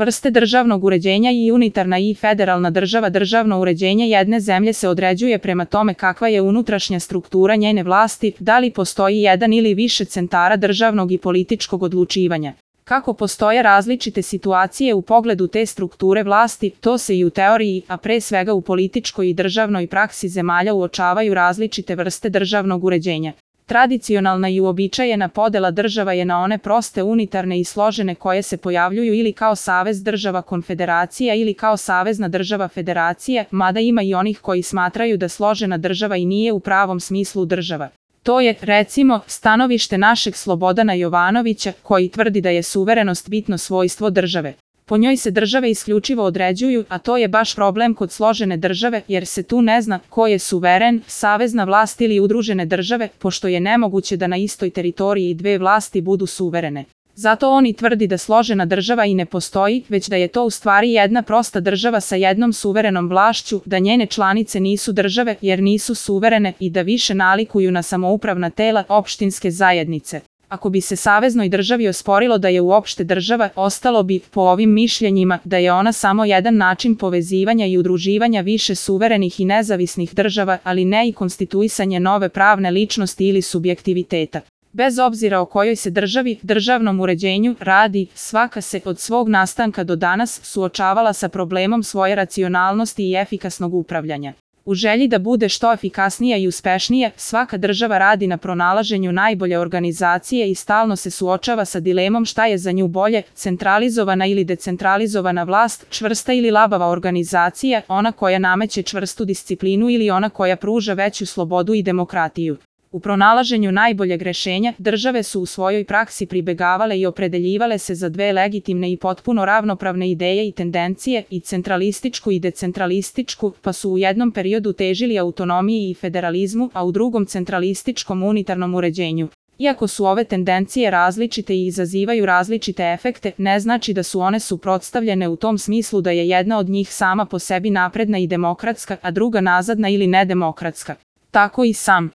Vrste državnog uređenja i unitarna i federalna država. Državno uređenje jedne zemlje se određuje prema tome kakva je unutrašnja struktura njene vlasti, da li postoji jedan ili više centara državnog i političkog odlučivanja. Kako postoje različite situacije u pogledu te strukture vlasti, to se i u teoriji, a pre svega u političkoj i državnoj praksi zemalja uočavaju različite vrste državnog uređenja. Tradicionalna i uobičajena podela država je na one proste, unitarne i složene koje se pojavljuju ili kao savez država konfederacija ili kao savezna država federacija, mada ima i onih koji smatraju da složena država i nije u pravom smislu država. To je, recimo, stanovište našeg Slobodana Jovanovića, koji tvrdi da je suverenost bitno svojstvo države. Po njoj se države isključivo određuju, a to je baš problem kod složene države, jer se tu ne zna ko je suveren, savezna vlast ili udružene države, pošto je nemoguće da na istoj teritoriji dve vlasti budu suverene. Zato on i tvrdi da složena država i ne postoji, već da je to u stvari jedna prosta država sa jednom suverenom vlašću, da njene članice nisu države jer nisu suverene i da više nalikuju na samoupravna tela, opštinske zajednice. Ako bi se saveznoj državi osporilo da je uopšte država, ostalo bi, po ovim mišljenjima, da je ona samo jedan način povezivanja i udruživanja više suverenih i nezavisnih država, ali ne i konstituisanje nove pravne ličnosti ili subjektiviteta. Bez obzira o kojoj se državi, državnom uređenju radi, svaka se od svog nastanka do danas suočavala sa problemom svoje racionalnosti i efikasnog upravljanja. U želji da bude što efikasnija i uspešnija, svaka država radi na pronalaženju najbolje organizacije i stalno se suočava sa dilemom šta je za nju bolje, centralizovana ili decentralizovana vlast, čvrsta ili labava organizacija, ona koja nameće čvrstu disciplinu ili ona koja pruža veću slobodu i demokratiju. U pronalaženju najboljeg rešenja, države su u svojoj praksi pribegavale i opredeljivale se za dve legitimne i potpuno ravnopravne ideje i tendencije, i centralističku i decentralističku, pa su u jednom periodu težili autonomiji i federalizmu, a u drugom centralističkom unitarnom uređenju. Iako su ove tendencije različite i izazivaju različite efekte, ne znači da su one suprotstavljene u tom smislu da je jedna od njih sama po sebi napredna i demokratska, a druga nazadna ili nedemokratska. Tako i sam